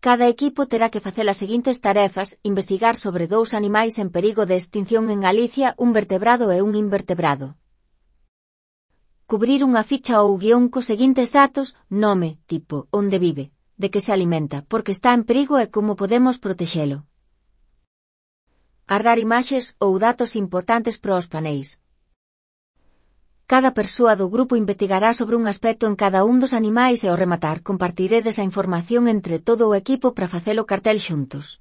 Cada equipo terá que facer as seguintes tarefas: investigar sobre 2 animais en perigo de extinción en Galicia, un vertebrado e un invertebrado. Cubrir unha ficha ou guión cos seguintes datos: nome, tipo, onde vive, de que se alimenta, por que está en perigo e como podemos protexelo. Ardar imaxes ou datos importantes para os paneis. Cada persoa do grupo investigará sobre un aspecto en cada un dos animais e ao rematar compartiredes a información entre todo o equipo para facelo cartel xuntos.